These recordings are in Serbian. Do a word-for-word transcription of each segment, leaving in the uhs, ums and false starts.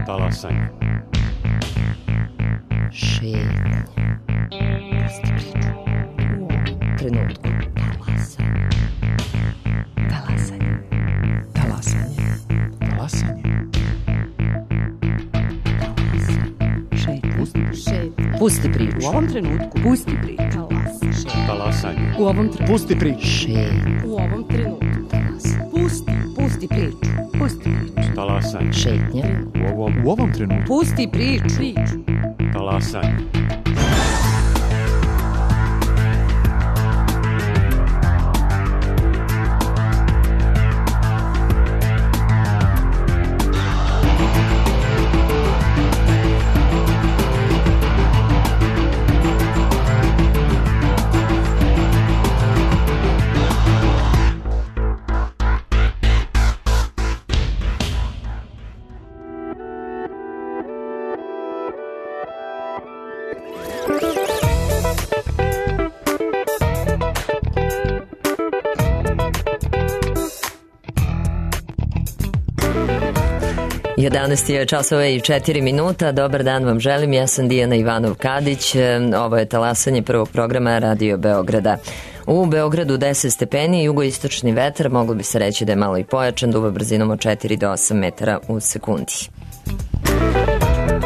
Talasanje. Šetnja. Pusti priču. U ovom trenutku. Talasanje. Talasanje. Talasanje. Talasanje. Šetnja. Pusti priču. U ovom trenutku. Pusti priču. Talasanje. U ovom trenutku. Pusti priču. Šetnja. U ovom trenutku. Talasanje. Pusti. Pusti priču. Pusti priču. Talasanje. Šetnja. U ovom, U ovom trenutku. Pusti priču. Priču. talasanje. jedanaest je časova i četiri minuta. Dobar dan vam želim, ja sam Dijana Ivanov-Kadić. Ovo je talasanje prvog programa Radio Beograda. U Beogradu deset stepeni, jugoistočni vetar, moglo bi se reći da je malo i pojačan, duva brzinom od četiri do osam metara u sekundi.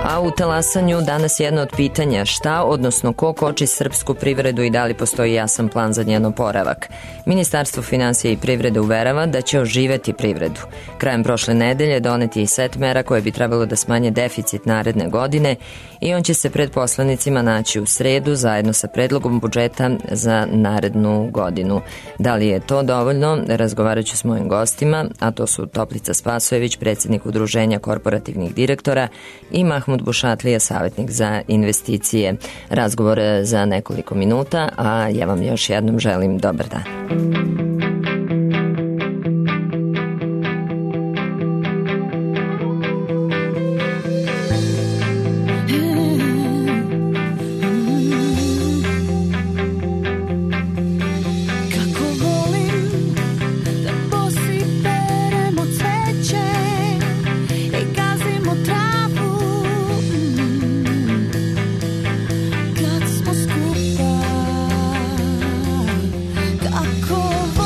A u talasanju danas jedno od pitanja: šta, odnosno ko koči srpsku privredu i da li postoji jasan plan za njen oporavak? Ministarstvo finansija i privrede uverava da će oživeti privredu. Krajem prošle nedelje donet je i set mera koje bi trebalo da smanje deficit naredne godine i on će se pred poslanicima naći u sredu zajedno sa predlogom budžeta za narednu godinu. Da li je to dovoljno? Razgovarat ću s mojim gostima, a to su Toplica Spasojević, predsjednik Udruženja korporativnih direktora, i Mahmud Bušatlija, savjetnik za investicije. Razgovor za nekoliko minuta, a ja vam još jednom želim dobar dan. Kako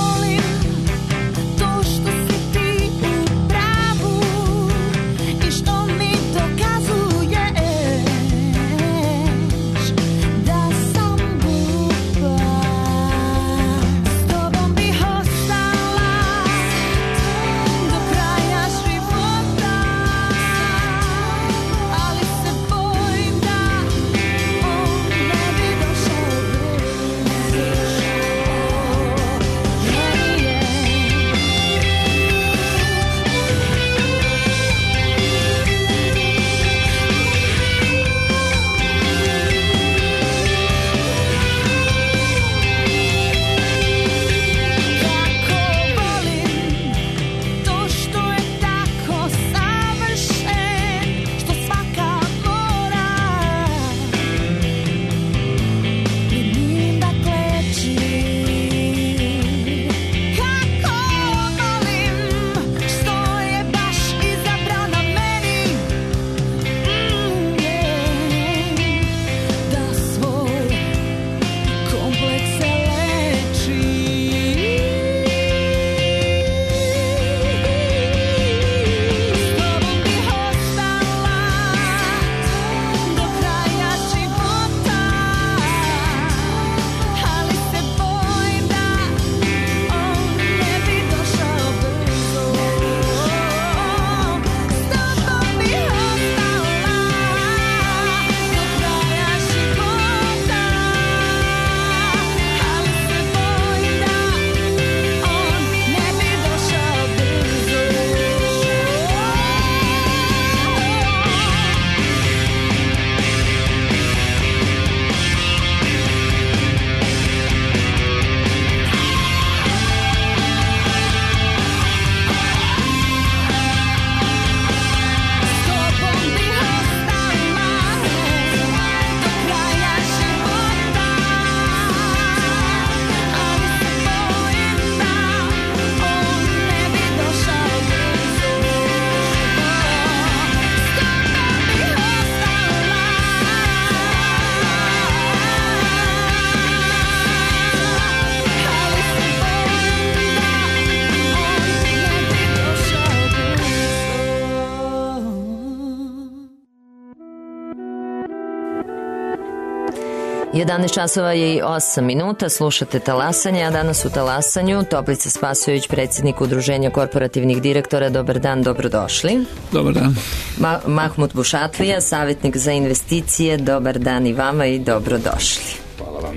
jedanaest časova je i osam minuta, slušate Talasanje, a danas u Talasanju Toplica Spasojević, predsjednik Udruženja korporativnih direktora. Dobar dan, dobrodošli. Dobar dan. Ma- Mahmut Bušatlija, savjetnik za investicije. Dobar dan i vama i dobrodošli. Hvala vam.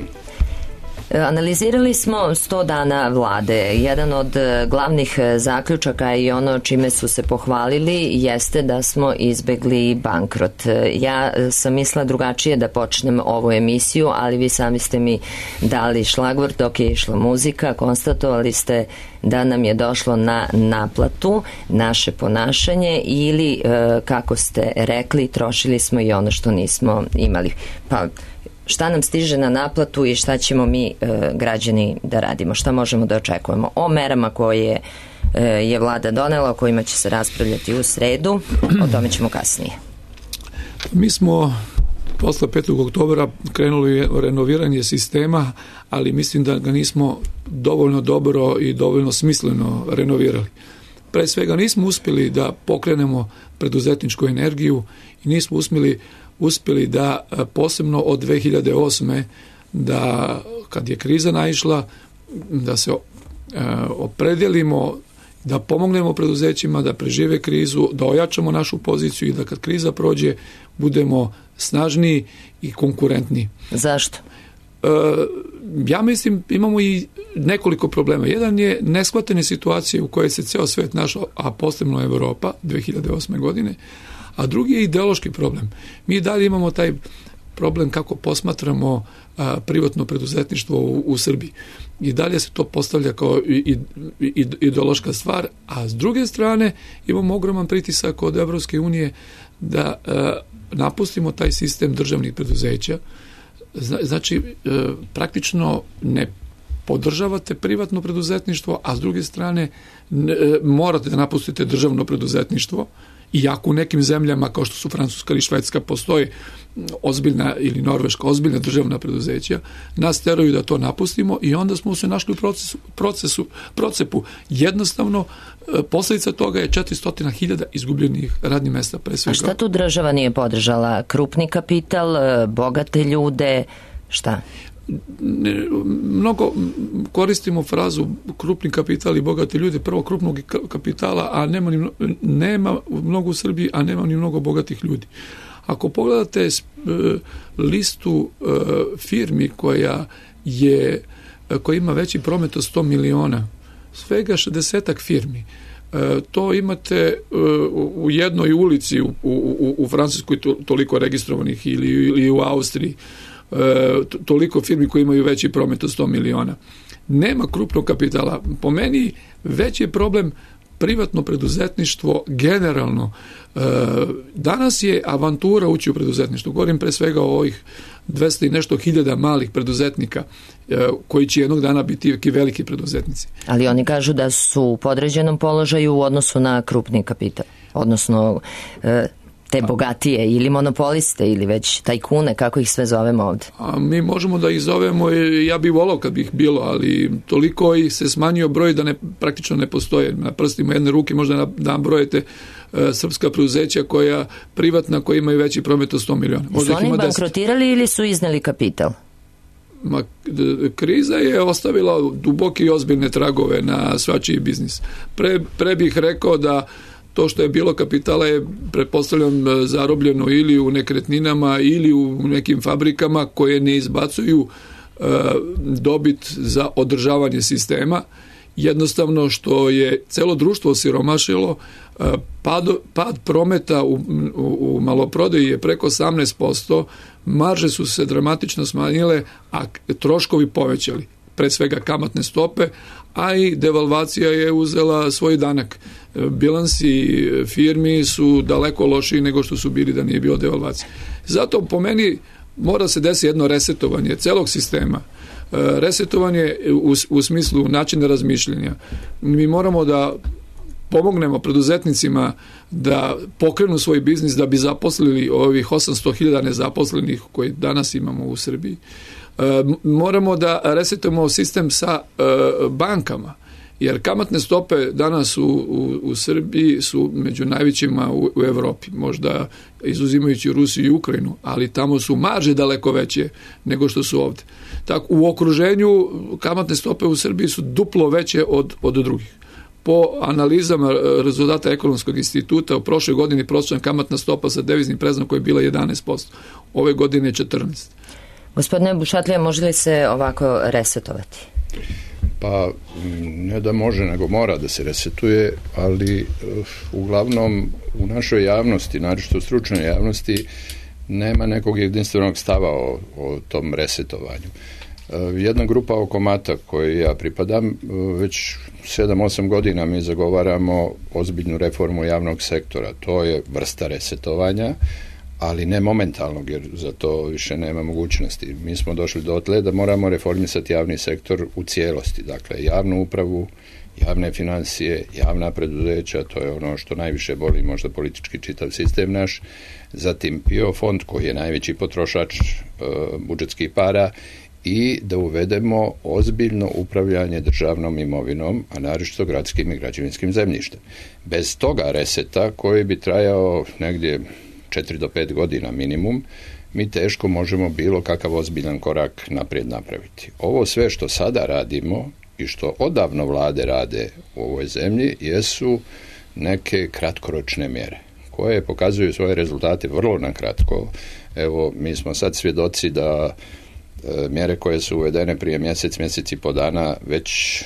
Analizirali smo sto dana vlade. Jedan od glavnih zaključaka i ono čime su se pohvalili jeste da smo izbegli bankrot. Ja sam mislila drugačije da počnem ovu emisiju, ali vi sami ste mi dali šlagvort dok je išla muzika. Konstatovali ste da nam je došlo na naplatu naše ponašanje ili, kako ste rekli, trošili smo i ono što nismo imali. Pa šta nam stiže na naplatu i šta ćemo mi e, građani da radimo, šta možemo da očekujemo o merama koje e, je vlada donela, o kojima će se raspravljati u sredu, o tome ćemo kasnije. Mi smo posle petog oktobra krenuli u renoviranje sistema, ali mislim da ga nismo dovoljno dobro i dovoljno smisleno renovirali. Pre svega nismo uspjeli da pokrenemo preduzetničku energiju i nismo uspjeli uspjeli da posebno od dve hiljade osme da kad je kriza naišla da se opredijelimo da pomognemo preduzećima da prežive krizu, da ojačamo našu poziciju i da kad kriza prođe budemo snažniji i konkurentniji. Zašto? E, ja mislim imamo i nekoliko problema. Jedan je neshvatene situacije u kojoj se ceo svet našao, a posebno Evropa dve hiljade osme godine, a drugi je ideološki problem. Mi dalje imamo taj problem kako posmatramo a, privatno preduzetništvo u, u Srbiji. I dalje se to postavlja kao i, i, i, ideološka stvar, a s druge strane imamo ogroman pritisak od Evropske unije da a, napustimo taj sistem državnih preduzeća. Zna, znači, a, praktično ne podržavate privatno preduzetništvo, a s druge strane ne, morate da napustite državno preduzetništvo. Iako u nekim zemljama kao što su Francuska ili Švedska postoje ozbiljna ili Norveška ozbiljna državna preduzeća, nas teraju da to napustimo i onda smo se našli u procesu, procesu, procepu. Jednostavno, posljedica toga je četiristo hiljada izgubljenih radnih mesta pre svega. A šta tu država nije podržala? Krupni kapital, bogate ljude, šta? Mnogo koristimo frazu krupni kapital i bogate ljude, prvo krupnog kapitala, a nema, ni, nema mnogo u Srbiji, a nema ni mnogo bogatih ljudi. Ako pogledate listu firmi koja je koja ima veći promet od sto miliona, svega šezdesetak firmi, to imate u jednoj ulici u, u, u Francuskoj toliko registrovanih ili, ili u Austriji, toliko firmi koji imaju veći promet od sto miliona. Nema krupnog kapitala. Po meni veći je problem privatno preduzetništvo generalno. Danas je avantura ući u preduzetništvo. Govorim pre svega o ovih dvesta i nešto hiljada malih preduzetnika koji će jednog dana biti veliki preduzetnici. Ali oni kažu da su u podređenom položaju u odnosu na krupni kapital. Odnosno te bogatije ili monopoliste ili već tajkune, kako ih sve zovemo ovde? A mi možemo da ih zovemo, ja bih volao kad bih bilo, ali toliko ih se smanjio broj da ne, praktično ne postoje. Na prstima jedne ruke možda nabrojete uh, srpska preduzeća koja privatna, koja imaju veći promet od sto miliona. Su oni bankrotirali deset ili su izneli kapital? Ma, kriza je ostavila duboke i ozbiljne tragove na svačiji biznis. Pre, pre bih rekao da to što je bilo kapitala je, pretpostavljam, zarobljeno ili u nekretninama ili u nekim fabrikama koje ne izbacuju e, dobit za održavanje sistema. Jednostavno što je celo društvo osiromašilo, e, pad, pad prometa u, u, u maloprodaji je preko osamnaest posto, marže su se dramatično smanjile, a troškovi povećali. Pre svega kamatne stope, a i devalvacija je uzela svoj danak. Bilansi firmi su daleko lošiji nego što su bili da nije bilo devalvacije. Zato po meni mora se desiti jedno resetovanje celog sistema. Resetovanje u, u smislu načina razmišljanja. Mi moramo da pomognemo preduzetnicima da pokrenu svoj biznis, da bi zaposlili ovih osamsto hiljada nezaposlenih koji danas imamo u Srbiji. Moramo da resetujemo sistem sa bankama, Jer kamatne stope danas u, u, u Srbiji su među najvećima u, u Evropi, možda izuzimajući Rusiju i Ukrajinu, ali tamo su marže daleko veće nego što su ovde. Tako, u okruženju kamatne stope u Srbiji su duplo veće od, od drugih. Po analizama rezultata Ekonomskog instituta u prošloj godini prosječna kamatna stopa sa deviznim predznakom je bila jedanaest posto. Ove godine je četrnaest posto. Gospodine Bušatlija, može li se ovako resetovati? Pa ne da može, nego mora da se resetuje, ali uglavnom u našoj javnosti, naročito u stručnoj javnosti, nema nekog jedinstvenog stava o, o tom resetovanju. Jedna grupa oko Mata kojoj ja pripadam, već sedam osam godina mi zagovaramo ozbiljnu reformu javnog sektora. To je vrsta resetovanja, ali ne momentalnog, jer za to više nema mogućnosti. Mi smo došli dotle da moramo reformisati javni sektor u cijelosti. Dakle, javnu upravu, javne financije, javna preduzeća, to je ono što najviše boli možda politički čitav sistem naš. Zatim P I O fond koji je najveći potrošač e, budžetskih para i da uvedemo ozbiljno upravljanje državnom imovinom, a naročito gradskim i građevinskim zemljištem. Bez toga reseta koji bi trajao negdje četiri do pet godina minimum, mi teško možemo bilo kakav ozbiljan korak naprijed napraviti. Ovo sve što sada radimo i što odavno vlade rade u ovoj zemlji jesu neke kratkoročne mjere koje pokazuju svoje rezultate vrlo nakratko. Evo, mi smo sad svjedoci da e, mjere koje su uvedene prije mjesec, mjesec i po dana već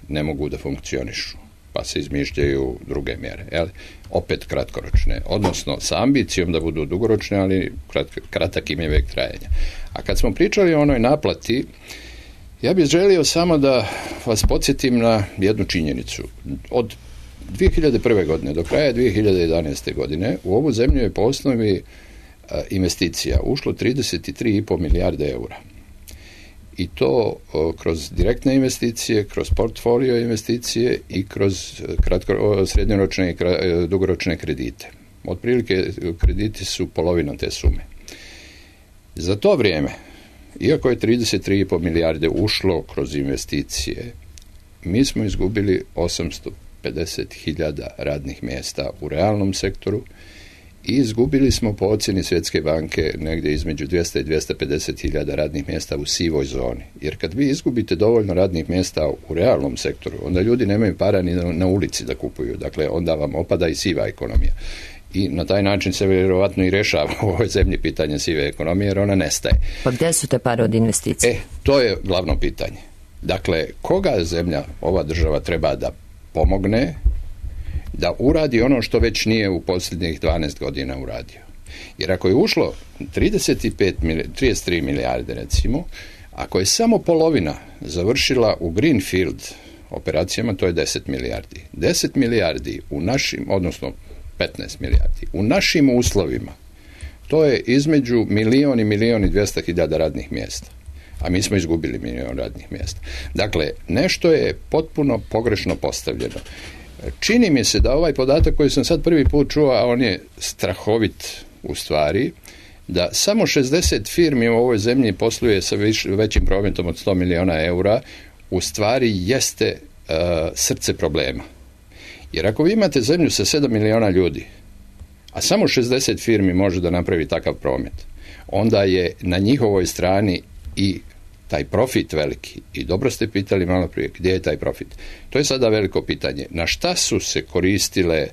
ne mogu da funkcionišu, pa se izmišljaju druge mjere. Jel? Opet kratkoročne, odnosno sa ambicijom da budu dugoročne, ali krat, kratak im je vek trajanja. A kad smo pričali o onoj naplati, ja bih želio samo da vas podsjetim na jednu činjenicu. Od dvije hiljade prve. godine do kraja dvije hiljade jedanaeste. godine u ovu zemlju je po osnovi a, investicija ušlo trideset tri i po milijarde eura. I to o, kroz direktne investicije, kroz portfolio investicije i kroz kratko, o, srednjoročne i kra, dugoročne kredite. Otprilike krediti su polovina te sume. Za to vrijeme, iako je trideset tri i po milijarde ušlo kroz investicije, mi smo izgubili osamsto pedeset hiljada radnih mjesta u realnom sektoru i izgubili smo po ocjeni Svjetske banke negdje između dvjesto i dvjesto pedeset hiljada radnih mjesta u sivoj zoni. Jer kad vi izgubite dovoljno radnih mjesta u realnom sektoru, onda ljudi nemaju para ni na, na ulici da kupuju. Dakle, onda vam opada i siva ekonomija. I na taj način se vjerovatno i rješava u ovoj zemlji pitanje sive ekonomije, jer ona nestaje. Pa gdje su te pare od investicije? E, to je glavno pitanje. Dakle, koga zemlja, ova država treba da pomogne da uradi ono što već nije u posljednjih dvanaest godina uradio. Jer ako je ušlo trideset pet, trideset tri milijarde recimo, ako je samo polovina završila u Greenfield operacijama, to je deset milijardi. deset milijardi u našim, odnosno petnaest milijardi, u našim uslovima, to je između milion i milion i dvjesto hiljada radnih mjesta. A mi smo izgubili milion radnih mjesta. Dakle, nešto je potpuno pogrešno postavljeno. Čini mi se da ovaj podatak koji sam sad prvi put čuo, a on je strahovit u stvari, da samo šezdeset firmi u ovoj zemlji posluje sa viš, većim prometom od sto miliona eura, u stvari jeste uh, srce problema. Jer ako vi imate zemlju sa sedam miliona ljudi, a samo šezdeset firmi može da napravi takav promet, onda je na njihovoj strani i taj profit veliki. I dobro ste pitali malo prije, gdje je taj profit? To je sada veliko pitanje. Na šta su se koristile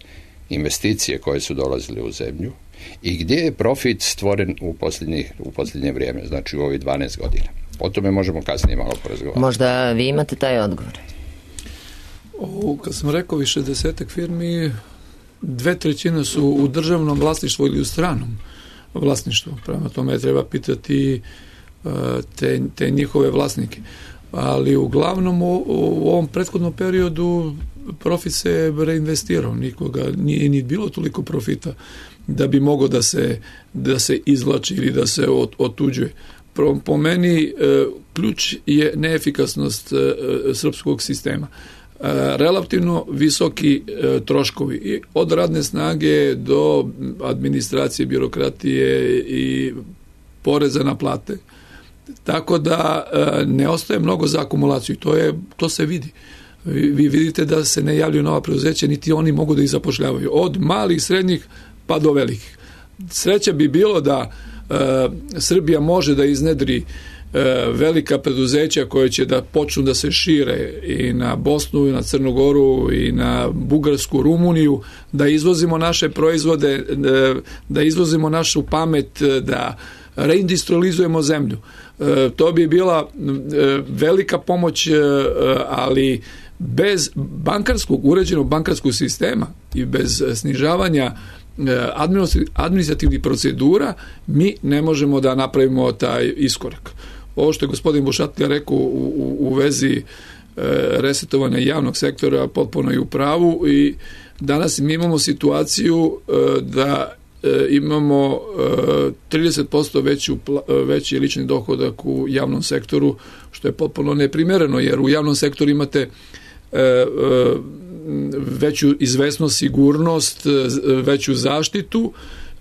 investicije koje su dolazile u zemlju i gdje je profit stvoren u, u posljednje vrijeme, znači u ovih dvanaest godina? O tome možemo kasnije malo porazgovarati. Možda vi imate taj odgovor. O, kad sam rekao više desetak firmi, dve trećine su u državnom vlasništvu ili u stranom vlasništvu. Prema tome treba pitati Te, te njihove vlasnike. Ali uglavnom u, u ovom prethodnom periodu profit se reinvestirao, nikoga nije ni bilo toliko profita da bi mogao da se, da se izvlači ili da se od, otuđuje. Po, po meni e, ključ je neefikasnost e, srpskog sistema. E, relativno visoki e, troškovi i od radne snage do administracije, birokratije i poreza na plate. Tako da e, ne ostaje mnogo za akumulaciju. To, je, to se vidi. vi, vi vidite da se ne javljaju nova preduzeća, niti oni mogu da ih zapošljavaju. Od malih, srednjih pa do velikih. Sreća bi bilo da e, Srbija može da iznedri velika preduzeća koje će da počnu da se šire i na Bosnu, i na Crnu Goru, i na Bugarsku, Rumuniju, da izvozimo naše proizvode, da izvozimo našu pamet, da reindustrializujemo zemlju. To bi bila velika pomoć, ali bez bankarskog, uređenog bankarskog sistema i bez snižavanja administrativnih procedura mi ne možemo da napravimo taj iskorak. Ovo što je gospodin Bušatlija rekao u, u, u vezi e, resetovanja javnog sektora potpuno je u pravu i danas mi imamo situaciju e, da e, imamo e, trideset posto veću, veći lični dohodak u javnom sektoru, što je potpuno neprimereno, jer u javnom sektoru imate e, e, veću izvesnost, sigurnost, veću zaštitu,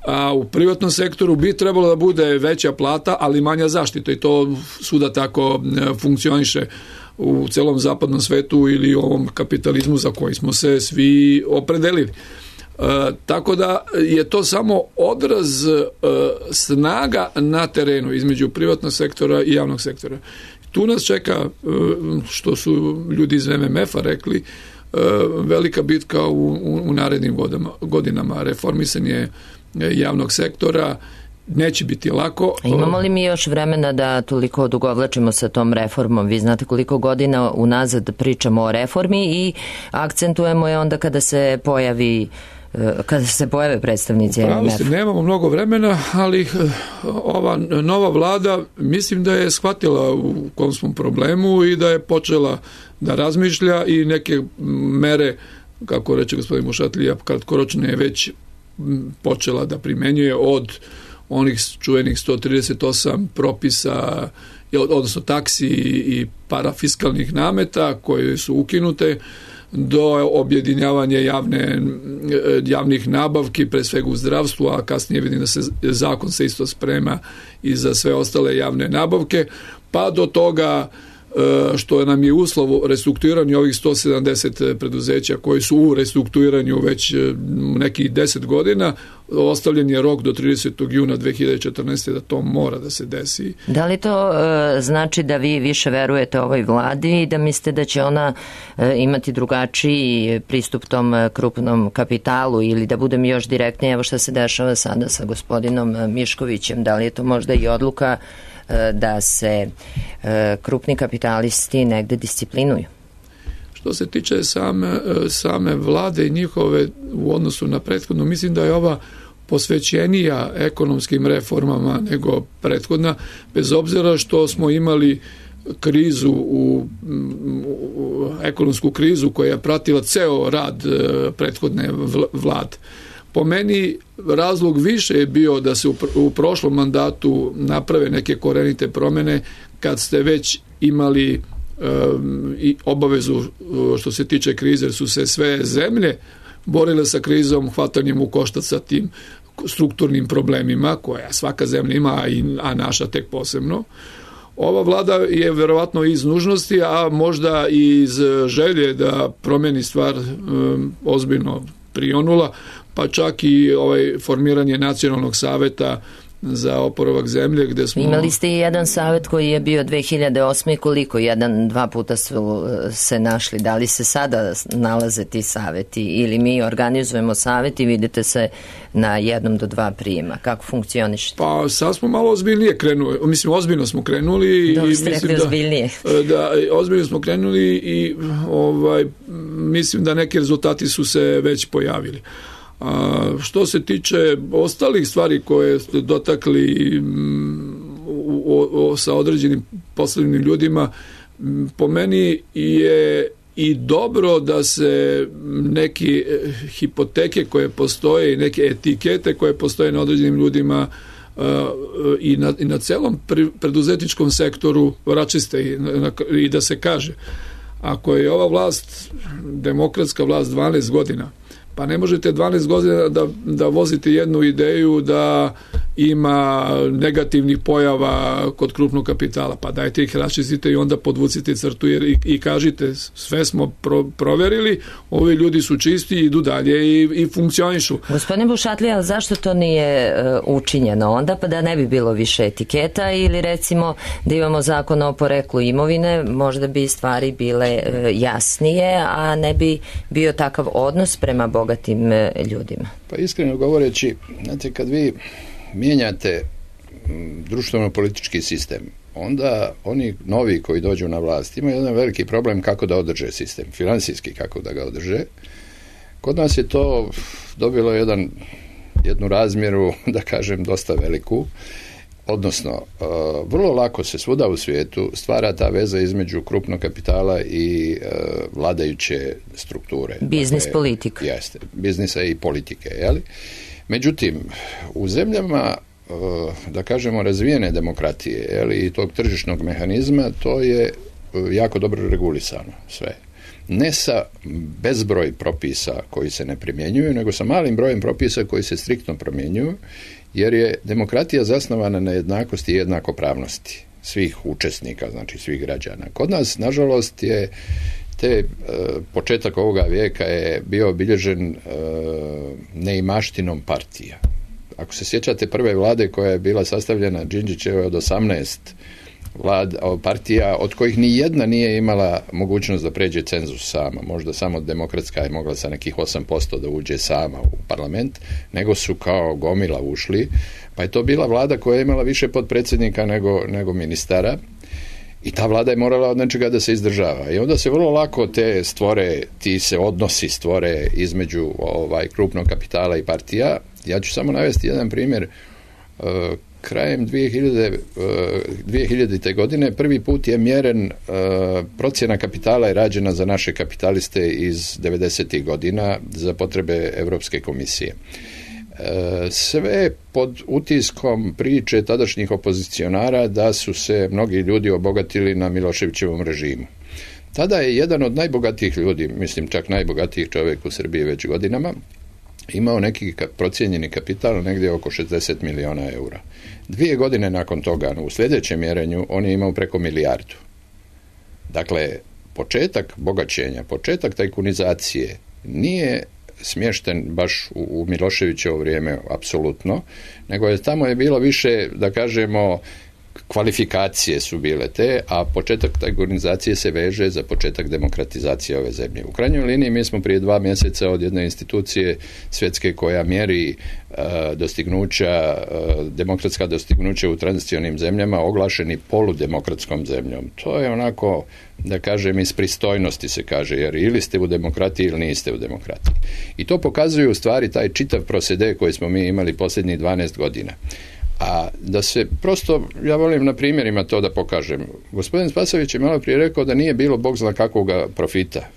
a u privatnom sektoru bi trebalo da bude veća plata, ali manja zaštita i to svuda tako funkcioniše u celom zapadnom svetu ili ovom kapitalizmu za koji smo se svi opredelili. E, tako da je to samo odraz e, snaga na terenu između privatnog sektora i javnog sektora. Tu nas čeka, e, što su ljudi iz M M F-a rekli, velika bitka u, u, u narednim godama, godinama. Reformisanje javnog sektora neće biti lako. A imamo li mi još vremena da toliko odugovlačimo sa tom reformom? Vi znate koliko godina unazad pričamo o reformi i akcentujemo je onda kada se pojavi kada se pojave predstavnici M M F. Nemamo mnogo vremena, ali ova nova vlada mislim da je shvatila u kom smo problemu i da je počela da razmišlja i neke mere, kako reče gospodin Bušatlija, kratkoročne je već počela da primenjuje od onih čuvenih sto trideset osam propisa, odnosno taksi i parafiskalnih nameta koje su ukinute, do objedinjavanja javne, javnih nabavki, pre svega u zdravstvu, a kasnije vidim da se zakon se isto sprema i za sve ostale javne nabavke, pa do toga što nam je uslov restrukturiranja ovih sto sedamdeset preduzeća koji su u restrukturiranju već nekih deset godina, ostavljen je rok do tridesetog juna dve hiljade četrnaeste da to mora da se desi. Da li to e, znači da vi više verujete ovoj vladi i da mislite da će ona e, imati drugačiji pristup tom krupnom kapitalu ili da budem još direktnije, evo šta se dešava sada sa gospodinom Miškovićem, da li je to možda i odluka da se e, krupni kapitalisti negde disciplinuju? Što se tiče same, same vlade i njihove u odnosu na prethodno, mislim da je ova posvećenija ekonomskim reformama nego prethodna, bez obzira što smo imali krizu, u, u ekonomsku krizu koja je pratila ceo rad prethodne vlade. Po meni razlog više je bio da se u, u prošlom mandatu naprave neke korenite promene kad ste već imali um, i obavezu što se tiče krize, jer su se sve zemlje borile sa krizom, hvatanjem u koštac sa tim strukturnim problemima koja svaka zemlja ima, a naša tek posebno. Ova vlada je verovatno iz nužnosti, a možda i iz želje da promeni stvar um, ozbiljno prionula, pa čak i ovaj formiranje nacionalnog saveta za oporavak zemlje, gde smo... Imali ste i jedan savet koji je bio dve hiljade osme koliko? Jedan, dva puta su se našli. Da li se sada nalaze ti saveti ili mi organizujemo savet i vidite se na jednom do dva prijema? Kako funkcionište? Pa sad smo malo ozbiljnije krenuli. Mislim, ozbiljno smo krenuli. Dobro ste rekli ozbiljnije. Da, da, ozbiljno smo krenuli i ovaj, mislim da neki rezultati su se već pojavili. A što se tiče ostalih stvari koje ste dotakli o, o, sa određenim poslovnim ljudima, po meni je i dobro da se neki hipoteke koje postoje i neke etikete koje postoje na određenim ljudima i na, i na celom preduzetničkom sektoru račiste i, na, i da se kaže, ako je ova vlast demokratska vlast dvanaest godina, pa ne možete dvanaest godina da, da vozite jednu ideju da ima negativnih pojava kod krupnog kapitala, pa dajte ih raščistite i onda podvucite crtu jer i, i kažite sve smo pro, proverili, ovi ljudi su čisti, idu dalje i, i funkcionišu. Gospodine Bušatlija, zašto to nije uh, učinjeno onda, pa da ne bi bilo više etiketa ili recimo da imamo zakon o poreklu imovine, možda bi stvari bile uh, jasnije, a ne bi bio takav odnos prema bogatim uh, ljudima? Pa iskreno govoreći, znate, kad vi mijenjate društveno-politički sistem, onda oni novi koji dođu na vlast imaju jedan veliki problem kako da održe sistem, finansijski kako da ga održe. Kod nas je to dobilo jedan, jednu razmjeru, da kažem, dosta veliku, odnosno uh, vrlo lako se svuda u svijetu stvara ta veza između krupnog kapitala i uh, vladajuće strukture. Biznis dakle, politika. Jeste, biznisa i politike, jeli? Međutim, u zemljama, da kažemo, razvijene demokratije, jeli, i tog tržišnog mehanizma, to je jako dobro regulisano sve. Ne sa bezbroj propisa koji se ne primjenjuju, nego sa malim brojem propisa koji se striktno primjenjuju, jer je demokratija zasnovana na jednakosti i jednakopravnosti svih učesnika, znači svih građana. Kod nas, nažalost, je te e, početak ovoga vijeka je bio obilježen e, neimaštinom partija. Ako se sjećate prve vlade koja je bila sastavljena Đinđićeve od osamnaest vlad, partija, od kojih ni jedna nije imala mogućnost da pređe cenzus sama. Možda samo Demokratska je mogla sa nekih osam posto da uđe sama u parlament, nego su kao gomila ušli. Pa je to bila vlada koja je imala više potpredsjednika nego, nego ministara. I ta vlada je morala od nečega da se izdržava. I onda se vrlo lako te stvore, ti se odnosi stvore između ovaj krupnog kapitala i partija. Ja ću samo navesti jedan primjer. Uh, krajem dvije hiljadite. godine prvi put je mjeren uh, procjena kapitala je rađena za naše kapitaliste iz devedesetih godina za potrebe Europske komisije. Sve pod utiskom priče tadašnjih opozicionara da su se mnogi ljudi obogatili na Miloševićevom režimu. Tada je jedan od najbogatijih ljudi, mislim čak najbogatijih čovjek u Srbiji već godinama, imao neki procijenjeni kapital negdje oko šezdeset miliona eura. Dvije godine nakon toga, u sljedećem mjerenju, on je imao preko milijardu. Dakle, početak bogaćenja, početak tajkunizacije nije smješten baš u, u Miloševićevo vrijeme apsolutno, nego je tamo je bilo više, da kažemo, kvalifikacije su bile te, a početak tajkunizacije se veže za početak demokratizacije ove zemlje. U krajnjoj liniji mi smo prije dva mjeseca od jedne institucije svjetske koja mjeri uh, dostignuća, uh, demokratska dostignuća u tranzicionim zemljama oglašeni poludemokratskom zemljom. To je onako, da kažem, iz pristojnosti se kaže, jer ili ste u demokratiji ili niste u demokratiji. I to pokazuju u stvari taj čitav procede koji smo mi imali posljednjih dvanaest godina. A da se prosto, ja volim na primjerima to da pokažem. Gospodin Spasović je malo prije rekao da nije bilo bog zna kakvoga profita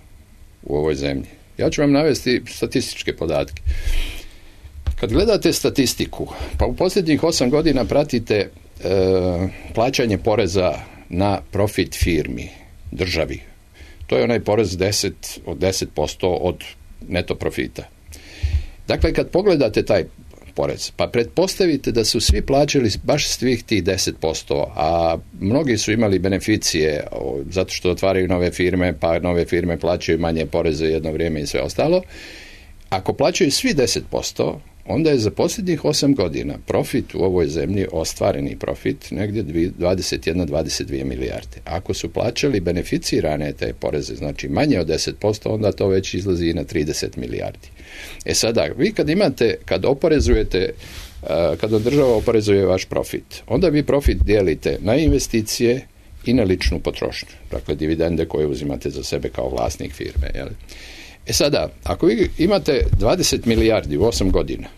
u ovoj zemlji. Ja ću vam navesti statističke podatke. Kad gledate statistiku, pa u posljednjih osam godina pratite e, plaćanje poreza na profit firmi, državi. To je onaj porez deset, od deset posto od neto profita. Dakle, kad pogledate taj porez, pa pretpostavite da su svi plaćali baš svih tih deset posto, a mnogi su imali beneficije o, zato što otvaraju nove firme, pa nove firme plaćaju manje poreze jedno vrijeme i sve ostalo. Ako plaćaju svi deset posto, onda je za posljednjih osam godina profit u ovoj zemlji, ostvareni profit, negdje dvadeset jedna do dvadeset dvije milijarde. Ako su plaćali beneficirane te poreze, znači manje od deset posto, onda to već izlazi i na trideset milijardi. E sada, vi kad imate, kad oporezujete, kada država oporezuje vaš profit, onda vi profit dijelite na investicije i na ličnu potrošnju. Dakle, dividende koje uzimate za sebe kao vlasnik firme, jel? E sada, ako vi imate dvadeset milijardi u osam godina,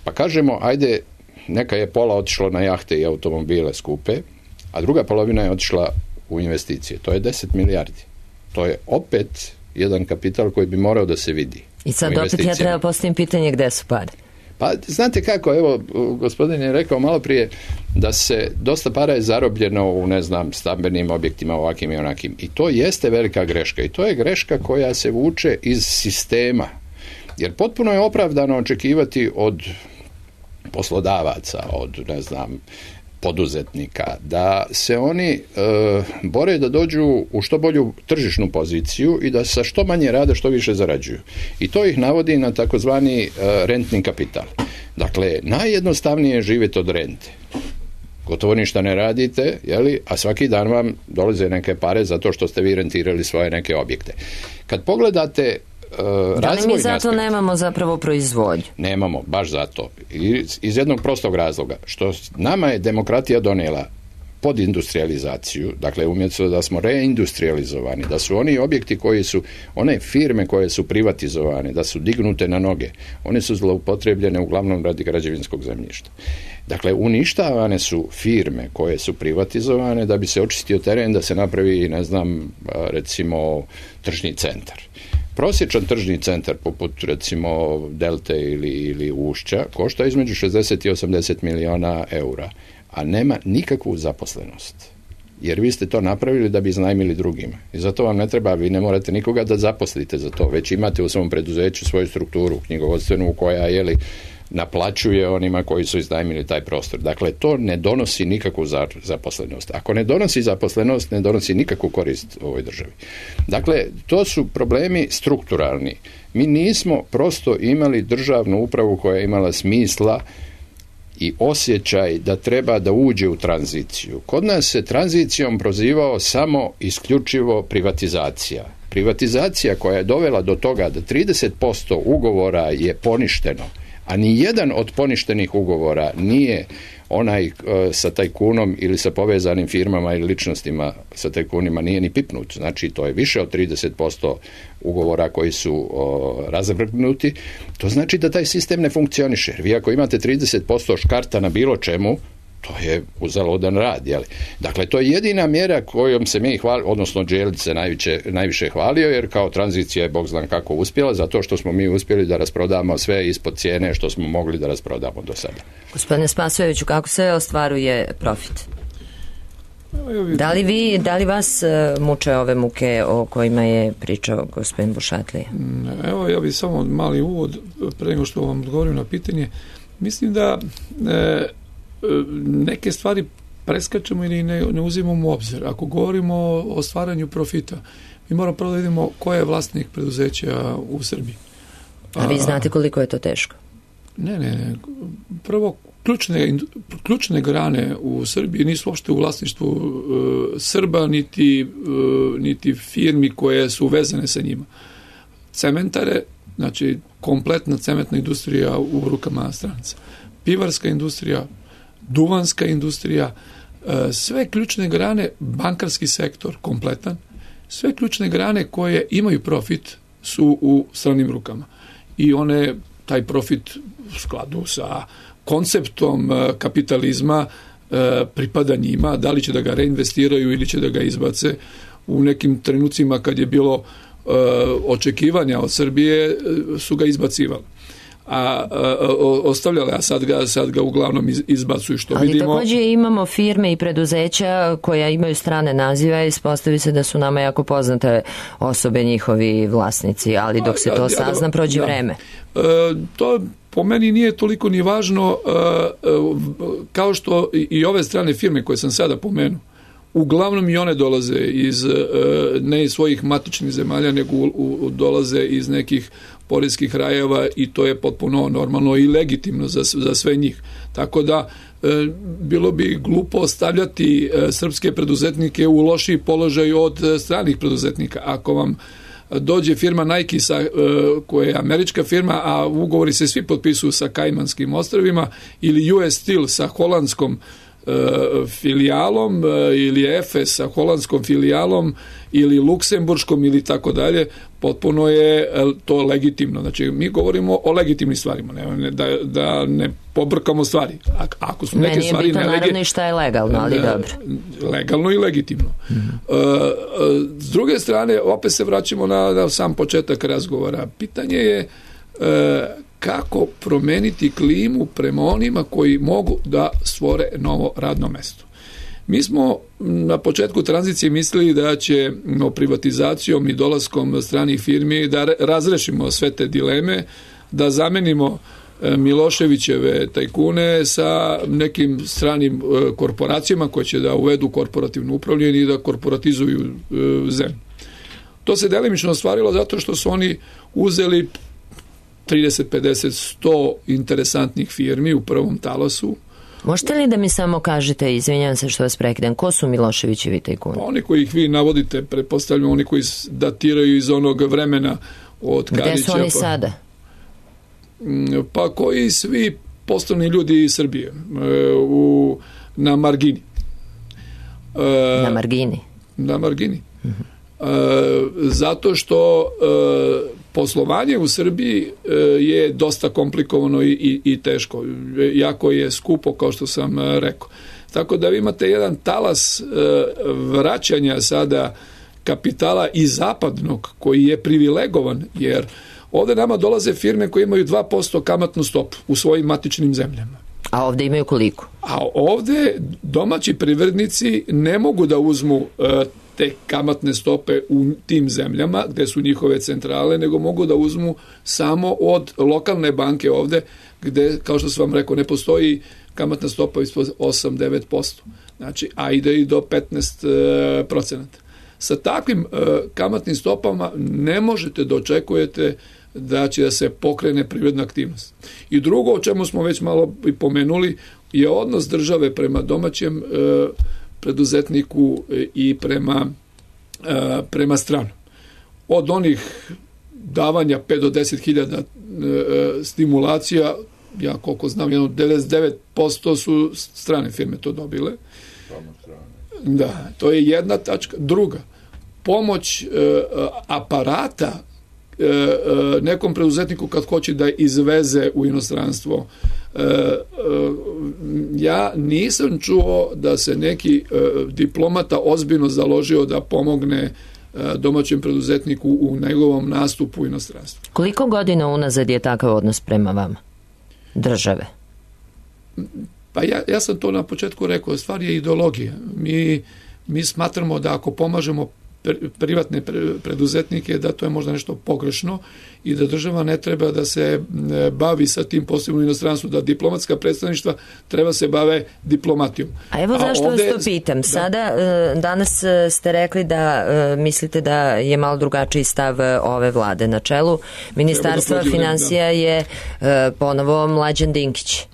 pa kažemo, ajde, neka je pola otišlo na jahte i automobile skupe, a druga polovina je otišla u investicije. To je deset milijardi. To je opet jedan kapital koji bi morao da se vidi. I sad opet ja treba postavim pitanje gde su pare. Pa znate kako, evo, gospodin je rekao malo prije da se dosta para je zarobljeno u, ne znam, stambenim objektima ovakvim i onakim. I to jeste velika greška. I to je greška koja se vuče iz sistema. Jer potpuno je opravdano očekivati od poslodavaca, od, ne znam, poduzetnika, da se oni e, bore da dođu u što bolju tržišnu poziciju i da sa što manje rade, što više zarađuju. I to ih navodi na takozvani e, rentni kapital. Dakle, najjednostavnije je živjeti od rente. Gotovo ništa ne radite, jeli, a svaki dan vam dolaze neke pare zato što ste vi rentirali svoje neke objekte. Kad pogledate Uh, da li mi zato aspekt, nemamo zapravo proizvodnju? Nemamo, baš zato. Iz, iz jednog prostog razloga. Što nama je demokratija donijela podindustrializaciju, dakle umjesto da smo reindustrializovani, da su oni objekti koji su, one firme koje su privatizovane, da su dignute na noge, one su zloupotrebljene uglavnom radi građevinskog zemljišta. Dakle, uništavane su firme koje su privatizovane da bi se očistio teren, da se napravi, ne znam, recimo tržni centar. Prosječan tržni centar poput recimo Delte ili, ili Ušća košta između šezdeset i osamdeset miliona eura, a nema nikakvu zaposlenost. Jer vi ste to napravili da bi iznajmili drugima. I zato vam ne treba, vi ne morate nikoga da zaposlite za to, već imate u svom preduzeću svoju strukturu knjigovodstvenu koja jeli, naplaćuje onima koji su iznajmili taj prostor. Dakle, to ne donosi nikakvu zaposlenost. Ako ne donosi zaposlenost, ne donosi nikakvu korist ovoj državi. Dakle, to su problemi strukturalni. Mi nismo prosto imali državnu upravu koja je imala smisla i osjećaj da treba da uđe u tranziciju. Kod nas se tranzicijom prozivao samo isključivo privatizacija. Privatizacija koja je dovela do toga da trideset posto ugovora je poništeno, a ni jedan od poništenih ugovora nije onaj e, sa tajkunom ili sa povezanim firmama ili ličnostima sa tajkunima nije ni pipnut. Znači, to je više od trideset posto ugovora koji su o, razvrgnuti. To znači da taj sistem ne funkcioniše. Jer vi ako imate trideset posto škarta na bilo čemu, to je uzaludan rad, jeli? Dakle, to je jedina mjera kojom se mi hvali, odnosno Đelić se najviše, najviše hvalio, jer kao tranzicija je Bog zna kako uspjela, zato što smo mi uspjeli da rasprodamo sve ispod cijene što smo mogli da rasprodamo do sada. Gospodine Spasojeviću, kako se ostvaruje profit? Da li, vi, da li vas muče ove muke o kojima je pričao gospodin Bušatlija? Evo, ja bih samo mali uvod, pre nego što vam odgovorim na pitanje. Mislim da e, neke stvari preskačemo ili ne, ne uzimamo u obzir. Ako govorimo o stvaranju profita, mi moramo prvo da vidimo ko je vlasnik preduzeća u Srbiji. A vi znate koliko je to teško? Ne, ne, ne. Prvo, ključne, ključne grane u Srbiji nisu uopšte u vlasništvu uh, Srba, niti, uh, niti firmi koje su vezane sa njima. Cementare, znači kompletna cementna industrija u rukama stranaca. Pivarska industrija, duvanska industrija, sve ključne grane, bankarski sektor kompletan, sve ključne grane koje imaju profit su u stranim rukama. I one, taj profit u skladu sa konceptom kapitalizma pripada njima, da li će da ga reinvestiraju ili će da ga izbace. U nekim trenucima kad je bilo očekivanja od Srbije su ga izbacivali. A, a, a ostavljale, a sad ga, sad ga uglavnom izbacuju, što ali vidimo. Ali također imamo firme i preduzeća koja imaju strane nazive i ispostavi se da su nama jako poznate osobe, njihovi vlasnici, ali dok se to sazna, prođe ja, vreme. E, to po meni nije toliko ni važno, e, kao što i ove strane firme koje sam sada pomenuo, uglavnom i one dolaze iz, ne iz svojih matičnih zemalja, nego u, u, dolaze iz nekih poreskih rajeva i to je potpuno normalno i legitimno za, za sve njih. Tako da e, bilo bi glupo ostavljati e, srpske preduzetnike u lošiji položaj od e, stranih preduzetnika. Ako vam dođe firma Nike sa, e, koja je američka firma, a ugovori se svi potpisuju sa Kajmanskim ostrvima, ili U S Steel sa holandskom filijalom ili Efes sa holandskom filijalom ili luksemburškom ili tako dalje, potpuno je to legitimno. Znači, mi govorimo o legitimnim stvarima, ne, da, da ne pobrkamo stvari. Ako su neke Meni je stvari bitno nelegi... naravno i šta je legalno, ali dobro. Legalno i legitimno. Mm-hmm. S druge strane, opet se vraćamo na, na sam početak razgovora. Pitanje je kako promeniti klimu prema onima koji mogu da stvore novo radno mesto. Mi smo na početku tranzicije mislili da će no, privatizacijom i dolaskom stranih firmi da razrešimo sve te dileme, da zamenimo Miloševićeve tajkune sa nekim stranim korporacijama koje će da uvedu korporativno upravljanje i da korporatizuju zemlju. To se delimično ostvarilo zato što su oni uzeli trideset, pedeset, sto interesantnih firmi u prvom talasu. Možete li da mi samo kažete, izvinjam se što vas prekidam, ko su Miloševićevi tajkuni? Oni koji ih vi navodite, pretpostavljam, oni koji datiraju iz onog vremena od Karića. Gde su oni pa, sada? Pa koji svi poslovni ljudi iz Srbije u, na margini. Na margini? Na margini. Uh-huh. Zato što poslovanje u Srbiji je dosta komplikovano i, i, i teško. Jako je skupo, kao što sam rekao. Tako da vi imate jedan talas vraćanja sada kapitala i zapadnog, koji je privilegovan, jer ovde nama dolaze firme koje imaju dva posto kamatnu stopu u svojim matičnim zemljama. A ovde imaju koliko? A ovde domaći privrednici ne mogu da uzmu uh, te kamatne stope u tim zemljama gde su njihove centrale, nego mogu da uzmu samo od lokalne banke ovde, gde, kao što sam vam rekao, ne postoji kamatna stopa ispod osam do devet posto. Znači, a ide i do petnaest procenata. Sa takvim uh, kamatnim stopama ne možete da očekujete da će da se pokrene privredna aktivnost. I drugo, o čemu smo već malo i pomenuli, je odnos države prema domaćem e, preduzetniku i prema, e, prema stranu. Od onih davanja pet do deset hiljada e, stimulacija, ja koliko znam, jedno devedeset devet posto su strane firme to dobile. Da, to je jedna tačka. Druga, pomoć e, aparata nekom preduzetniku kad hoće da izveze u inostranstvo. Ja nisam čuo da se neki diplomata ozbiljno založio da pomogne domaćem preduzetniku u njegovom nastupu u inostranstvu. Koliko godina unazad je takav odnos prema vama, države? Pa ja, ja sam to na početku rekao, stvar je ideologija. Mi, mi smatramo da ako pomažemo privatne preduzetnike, da to je možda nešto pogrešno i da država ne treba da se bavi sa tim posebno u inostranstvu, da diplomatska predstavništva treba se bave diplomatijom. A evo zašto ovde, vas to pitam. Da. Sada, danas ste rekli da mislite da je malo drugačiji stav ove vlade na čelu. Ministarstva da finansija da. je ponovo Mlađan Dinkić.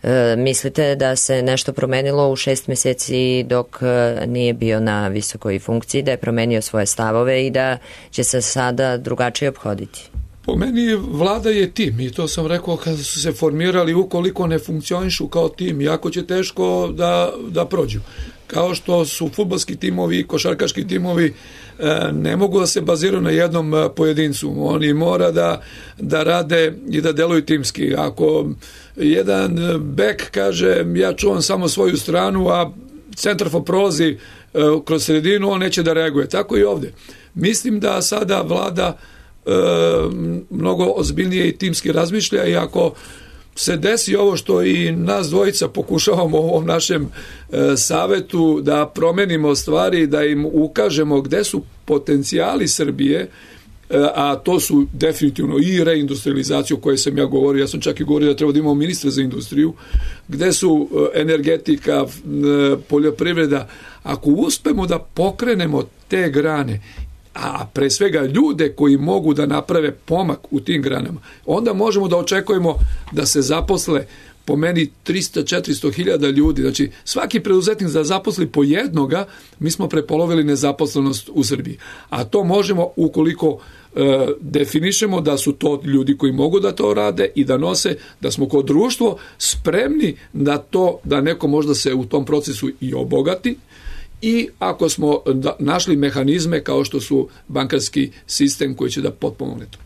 E, mislite da se nešto promenilo u šest meseci dok e, nije bio na visokoj funkciji, da je promenio svoje stavove i da će se sada drugačije obhoditi? Po meni vlada je tim i to sam rekao kada su se formirali, ukoliko ne funkcionišu kao tim, jako će teško da, da prođu. Kao što su fudbalski timovi i košarkaški timovi e, ne mogu da se baziraju na jednom pojedincu. Oni mora da, da rade i da deluju timski. Ako jedan bek kaže ja čuvam samo svoju stranu, a centarfor prolazi e, kroz sredinu, on neće da reaguje. Tako i ovde. Mislim da sada vlada e, mnogo ozbiljnije i timski razmišlja i ako se desi ovo što i nas dvojica pokušavamo u ovom našem e, savetu da promenimo stvari, da im ukažemo gde su potencijali Srbije, e, a to su definitivno i reindustrializacija o kojoj sam ja govorio, ja sam čak i govorio da treba da imamo ministra za industriju, gde su e, energetika, e, poljoprivreda. Ako uspemo da pokrenemo te grane, a pre svega ljude koji mogu da naprave pomak u tim granama, onda možemo da očekujemo da se zaposle po meni tristo do četiristo hiljada ljudi. Znači, svaki preduzetnik da zaposli po jednoga, mi smo prepolovili nezaposlenost u Srbiji. A to možemo ukoliko e, definišemo da su to ljudi koji mogu da to rade i da nose, da smo kao društvo spremni da to, da neko možda se u tom procesu i obogati, i ako smo našli mehanizme kao što su bankarski sistem koji će da potpomogne to.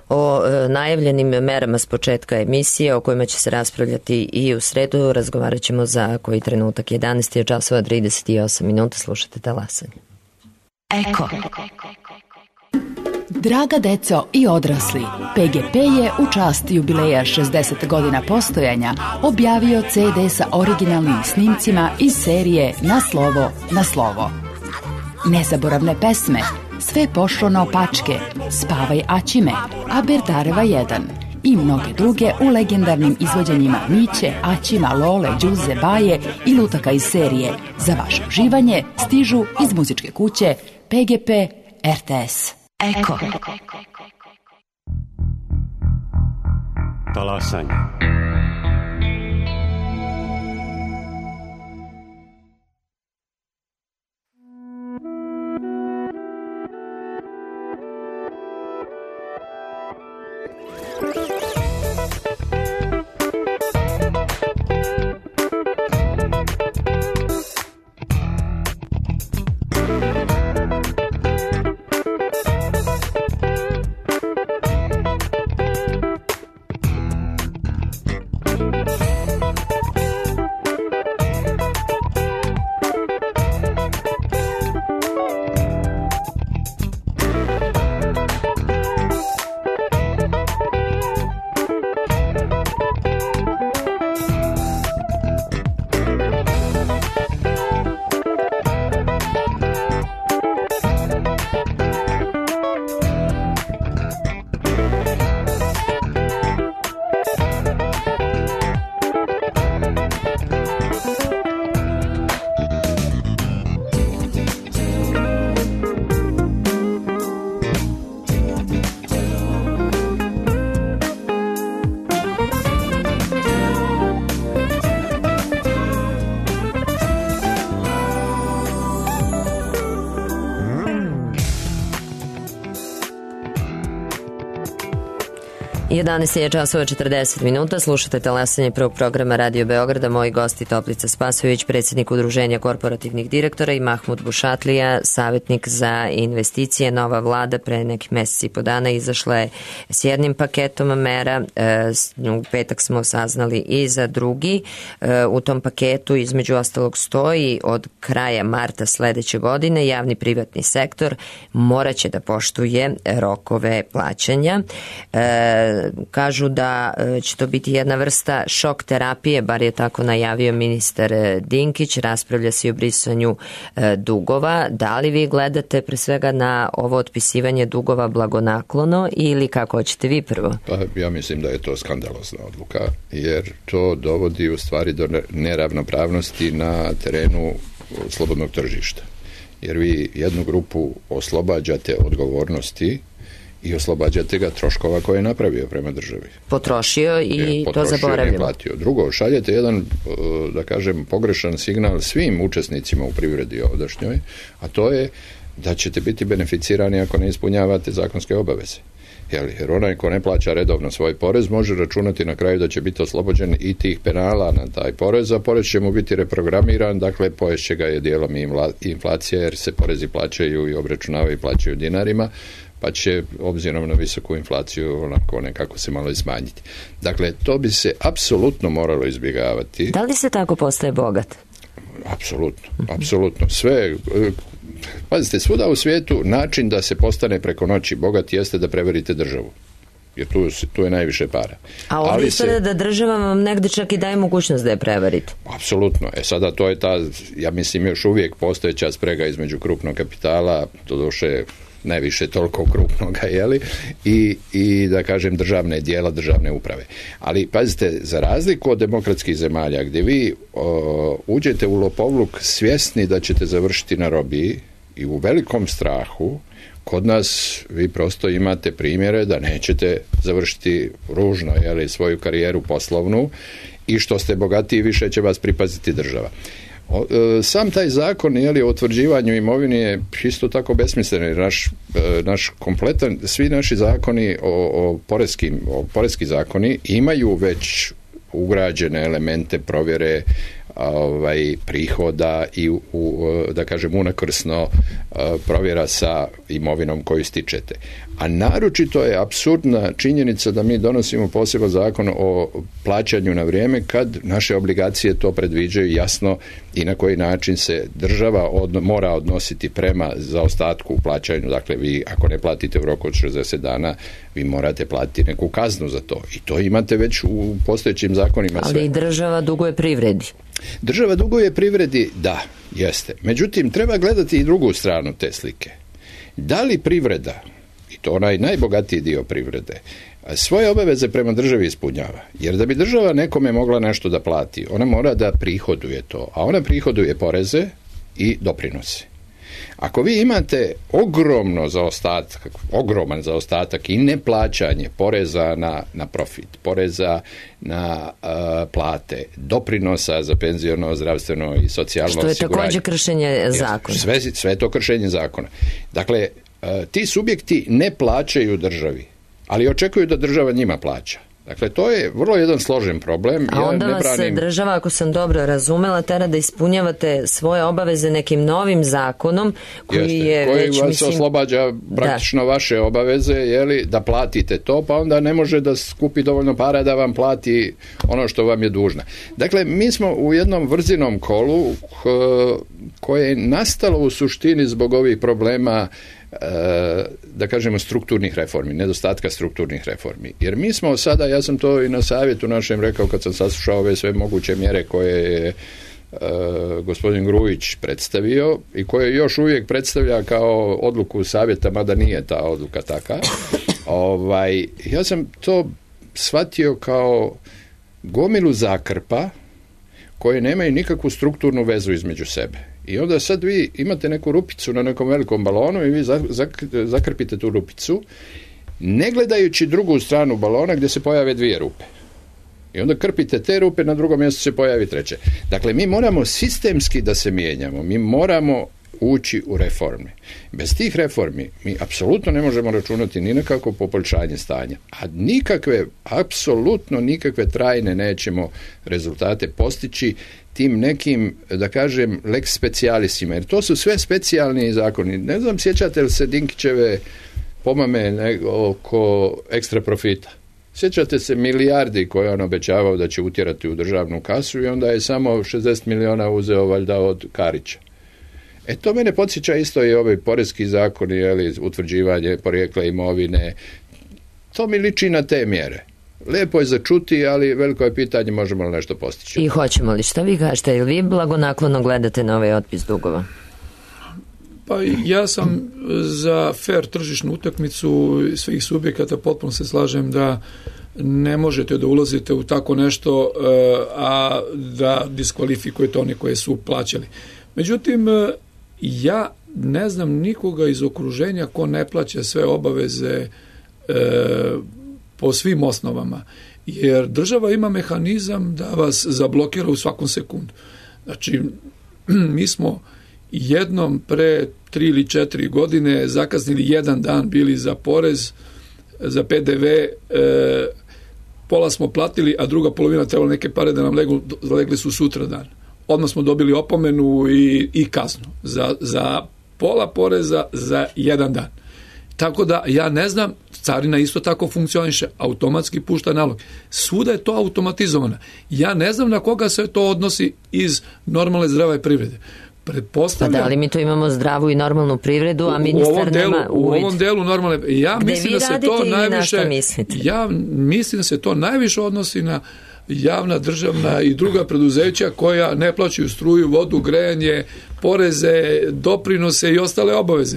O e, najavljenim merama s početka emisije o kojima će se raspravljati i u sredu razgovarat ćemo za koji trenutak. jedanaest časova trideset osam minuta, slušate Talasanje. Eko. Draga deco i odrasli, P G P je u čast jubileja šezdeset godina postojanja objavio ce de sa originalnim snimcima iz serije Na slovo, na slovo. Nezaboravne pesme, Sve pošlo naopačke, Spavaj Aćime, Aberdareva jedan i mnoge druge u legendarnim izvođenjima Miće, Aćima, Lole, Đuze, Baje i lutaka iz serije. Za vaše uživanje stižu iz muzičke kuće P G P R T S. Eko. Talasanje. jedanaest je časova četrdeset minuta, slušate talasanje prvog programa Radio Beograda. Moji gosti Toplica Spasojević, predsjednik Udruženja korporativnih direktora, i Mahmud Bušatlija, savjetnik za investicije. Nova vlada pre nekih mjeseci i po dana izašla je s jednim paketom mera, u petak smo saznali i za drugi. U tom paketu između ostalog stoji od kraja marta sledeće godine javni privatni sektor moraće da poštuje rokove plaćanja. Kažu da će to biti jedna vrsta šok terapije, bar je tako najavio ministar Dinkić. Raspravlja se o brisanju dugova. Da li vi gledate pre svega na ovo otpisivanje dugova blagonaklono ili kako hoćete vi prvo? Pa ja mislim da je to skandalozna odluka, jer to dovodi u stvari do neravnopravnosti na terenu slobodnog tržišta. Jer vi jednu grupu oslobađate odgovornosti i oslobađate ga troškova koje je napravio prema državi. Potrošio i je, potrošio, to zaboravio. Platio. Drugo, šaljete jedan, da kažem, pogrešan signal svim učesnicima u privredi ovdašnjoj, a to je da ćete biti beneficirani ako ne ispunjavate zakonske obaveze. Jer onaj ko ne plaća redovno svoj porez može računati na kraju da će biti oslobođen i tih penala na taj porez, a porez će mu biti reprogramiran, dakle poješće ga je dijelom i inflacija, jer se porezi plaćaju i obračunavaju i plaćaju dinarima, pa će obzirom na visoku inflaciju onako nekako se malo i smanjiti. Dakle, to bi se apsolutno moralo izbjegavati. Da li se tako postaje bogat? Apsolutno, apsolutno. Sve, pazite, svuda u svijetu način da se postane preko noći bogat jeste da prevarite državu. Jer tu, tu je najviše para. A ovdje ispada da država vam negdje čak i daje mogućnost da je prevarite. Apsolutno. E sada to je ta, ja mislim, još uvijek postojeća sprega između krupnog kapitala, doduše najviše toliko krupnoga, jeli, i, i da kažem državne dijela, državne uprave. Ali pazite, za razliku od demokratskih zemalja gdje vi o, uđete u lopovluk svjesni da ćete završiti na robiji i u velikom strahu, kod nas vi prosto imate primjere da nećete završiti ružno, jeli, svoju karijeru poslovnu, i što ste bogatiji više će vas pripaziti država. Sam taj zakon, jeli, o utvrđivanju imovine je isto tako besmislen. Naš, naš kompletan, svi naši zakoni o, o poreskim, o poreski zakoni imaju već ugrađene elemente provjere ovaj, prihoda i u, da kažem unakrsno provjera sa imovinom koju stičete. A naročito je apsurdna činjenica da mi donosimo poseban zakon o plaćanju na vrijeme kad naše obligacije to predviđaju jasno i na koji način se država od, mora odnositi prema zaostatku u plaćanju. Dakle, vi ako ne platite u roku od šezdeset dana, vi morate platiti neku kaznu za to. I to imate već u postojećim zakonima. Ali sve. I država duguje privredi. Država duguje privredi, da, jeste. Međutim, treba gledati i drugu stranu te slike. Da li privreda to onaj najbogatiji dio privrede, svoje obaveze prema državi ispunjava. Jer da bi država nekome mogla nešto da plati, ona mora da prihoduje to, a ona prihoduje poreze i doprinose. Ako vi imate ogromno zaostatak, ogroman zaostatak i neplaćanje poreza na, na profit, poreza na uh, plate, doprinosa za penziono, zdravstveno i socijalno osiguranje. Što je također kršenje zakona. Sve, sve to kršenje zakona. Dakle, uh, ti subjekti ne plaćaju državi, ali očekuju da država njima plaća. Dakle, to je vrlo jedan složen problem. A onda ja ne vas branim... država, ako sam dobro razumela, tera da ispunjavate svoje obaveze nekim novim zakonom koji Jeste, je koji već, vas mislim... oslobađa praktično da. vaše obaveze, jeli, da platite to, pa onda ne može da skupi dovoljno para da vam plati ono što vam je dužna. Dakle, mi smo u jednom vrzinom kolu koje je nastalo u suštini zbog ovih problema, da kažemo, strukturnih reformi, nedostatka strukturnih reformi. Jer mi smo sada, ja sam to i na savjetu našem rekao kad sam saslušao ove sve moguće mjere koje je uh, gospodin Grujić predstavio i koje još uvijek predstavlja kao odluku savjeta, mada nije ta odluka taka. Ovaj, ja sam to shvatio kao gomilu zakrpa koje nemaju nikakvu strukturnu vezu između sebe. I onda sad vi imate neku rupicu na nekom velikom balonu i vi zakrpite tu rupicu, ne gledajući drugu stranu balona gdje se pojave dvije rupe. I onda krpite te rupe, na drugom mjestu se pojavi treće. Dakle, mi moramo sistemski da se mijenjamo, mi moramo ući u reforme. Bez tih reformi mi apsolutno ne možemo računati ni na kakvo poboljšanje stanja. A nikakve, apsolutno nikakve trajne nećemo rezultate postići tim nekim, da kažem, lex specialisima. Jer to su sve specijalni zakoni. Ne znam, sjećate li se Dinkićeve pomame ne, oko ekstra profita? Sjećate se milijardi koje on obećavao da će utjerati u državnu kasu i onda je samo šezdeset miliona uzeo valjda od Karića. E to mene podsjeća isto i ovaj porezki zakon, jeli, utvrđivanje porijekla imovine. To mi liči na te mjere. Lijepo je začuti, ali veliko je pitanje možemo li nešto postići. I hoćemo li? Šta vi kažete? Ili vi blagonaklono gledate na ovaj otpis dugova? Pa ja sam za fair tržišnu utakmicu svih subjekata, potpuno se slažem da ne možete da ulazite u tako nešto, a da diskvalifikujete one koje su plaćali. Međutim, ja ne znam nikoga iz okruženja ko ne plaća sve obaveze e, po svim osnovama, jer država ima mehanizam da vas zablokira u svakom sekundu. Znači, mi smo jednom pre tri ili četiri godine zakasnili jedan dan bili za porez, za P D V, e, pola smo platili, a druga polovina trebalo neke pare da nam legli, legli su sutra dan. Odmah smo dobili opomenu i, i kaznu za, za pola poreza za jedan dan. Tako da ja ne znam, carina isto tako funkcioniše, automatski pušta nalog. Svuda je to automatizovano. Ja ne znam na koga se to odnosi iz normalne zdrave privrede. Pretpostavljam... Pa da li mi to imamo zdravu i normalnu privredu, a ministar delu, nema uvid? U ovom delu normalne... Ja Gde mislim vi da se to najviše... Ja mislim da se to najviše odnosi na javna, državna i druga preduzeća koja ne plaćaju struju, vodu, grejanje, poreze, doprinose i ostale obaveze.